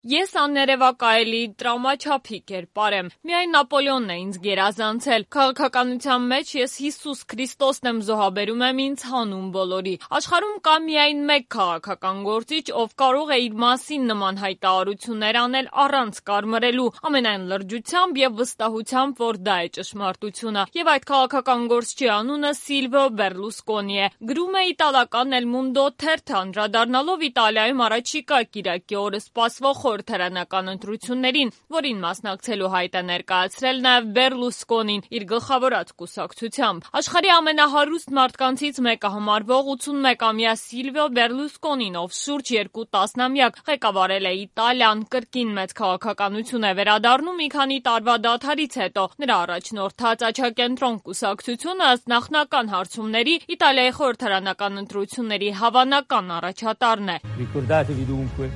Ես աներևակայելի տրամաչափի կերպար եմ, միայն Նապոլեոնն է ինձ գերազանցել, քաղաքականության մեջ ես Հիսուս Քրիստոսն եմ զոհաբերում եմ ինձ հանուն բոլորի, աշխարհում կա միայն մեկ քաղաքական գործիչ, ով կարող է իր մասին նման հայտարարություններ անել առանց կարմրելու, ամենայն լրջությամբ և վստահությամբ, որ դա է ճշմարտությունը, և այդ քաղաքական գործչի անունը Սիլվիո Բեռլուսկոնի է, գրում է իտալական El Mundo թերթը, անդրադառնալով Իտալիայում առաջիկա կիրակի օրը սպասվող խորհրդարանական ընտրություններին, որին մասնակցելու հայտ է ներկայացրել նաև Բեռլուսկոնին իր գլխավորած կուսակցությամբ։ Աշխարհի ամենահարուստ մարդկանցից մեկը համարվող 81-ամյա Սիլվիո Բեռլուսկոնին, ով շուրջ 2 տասնամյակ ղեկավարել է Իտալիան, կրկին մեծ քաղաքականություն է վերադառնում մի քանի տարվա դադարից հետո։ Նրա առաջնորդած «Աչակենտրոն» կուսակցությունը ըստ նախնական հարցումների Իտալիայի խորհրդարանական ընտրությունների հավանական առաջատարն է։ Ricordatevi dunque,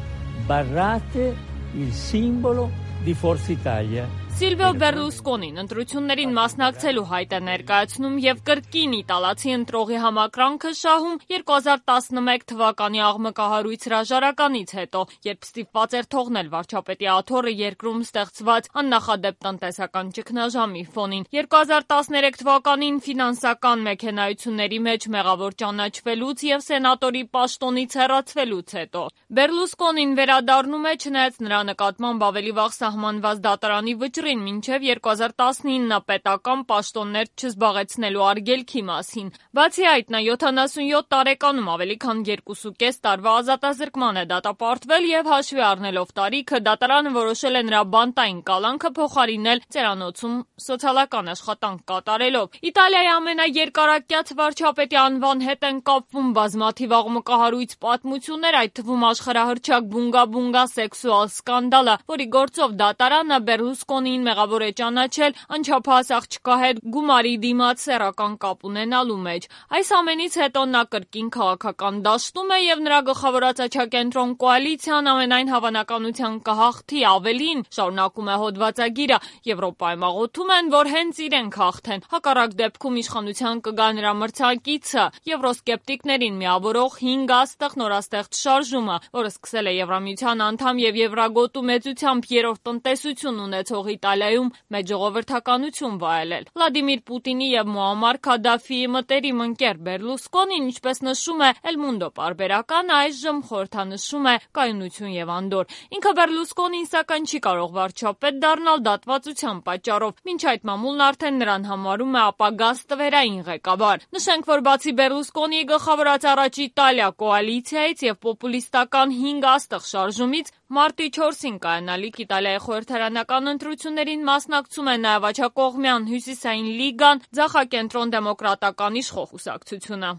barrate il simbolo di Forza Italia. Սիլվիո Բեռլուսկոնին ընտրություններին մասնակցելու հայտ է ներկայացնում և կրկին իտալացի ընտրողի համակրանքը շահում 2011 թվականի աղմկահարույց հրաժարականից հետո, երբ ստիպված էր թողնել վարչապետի աթոռը երկրում ստեղծված աննախադեպ տնտեսական ճգնաժամի ֆոնին։ 2013 թվականին ֆինանսական մեքենայությունների մեջ մեղավոր ճանաչվելուց և սենատորի պաշտոնից հեռացվելուց հետո Բեռլուսկոնին վերադառնում է չնայած նրա նկատմամբ ավելի վաղ սահմանված դատարանի վճռին մինչև 2019 պետական պաշտոններ չզբաղեցնելու արգելքի մասին։ Բացի այդ, նա 77 տարեկանում ավելի քան 2.5 տարվա ազատազրկման է դատապարտվել և հաշվի առնելով տարիքը, դատարանը որոշել է նրա բանտային կալանքը փոխարինել ծերանոցում սոցիալական աշխատանք կատարելով։ Իտալիայի ամենաերկարակյաց վարչապետի անվան հետ են կապվում բազմաթիվ աղմկահարույց պատմություններ, այդ թվում աշխարհահռչակ բունգա-բունգա սեքսուալ սկանդալը, որի գործով դատարանը Բեռլուսկոնիին մեղավոր է ճանաչել անչափահաս աղջկա հետ գումարի դիմաց սեռական կապ ունենալու մեջ։ Այս ամենից հետո նա կրկին քաղաքական դաշտում է և նրա գլխավորած Աչակենտրոն կոալիցիան ամենայն հավանականությամբ կհաղթի, ավելին, շարունակում է հոդվածագիրը, Եվրոպայում աղոթում են, որ հենց իրենք հաղթեն, հակառակ դեպքում իշխանության կգա նրա մրցակիցը, եվրոսկեպտիկներին միավորող 5 աստղ նորաստեղծ շարժումը, որը սկսել է Եվրամիության անդամ և Եվրագոտու մեծությամբ 3-րդ տնտեսություն ունեցող Իտալիայում մեծ ժողովրդականություն վայելել։ Վլադիմիր Պուտինի և Մուամմար Քադաֆիի մտերիմ ընկեր Բեռլուսկոնին, ինչպես նշում է El Mundo պարբերականը, այժմ խորհրդանշում է կայունություն և անդորր։ Ինքը Բեռլուսկոնին սակայն չի կարող վարչապետ դառնալ դատվածության պատճառով, մինչ այդ մամուլն արդեն նրան համարում է ապագա ստվերային ղեկավար։ Նշենք, որ բացի Բեռլուսկոնիի գլխավորած Առաջ Իտալիա կոալիցիայից և պոպուլիստական 5 աստղ շարժումից մարտի 4-ին կայանալիք Իտալիայի խորհրդարանական ընտրություններին մասնակցում է նաև աջակողմյան Հյուսիսային լիգան, ձախակենտրոն դեմոկրատական իշխող կուսակցությունը։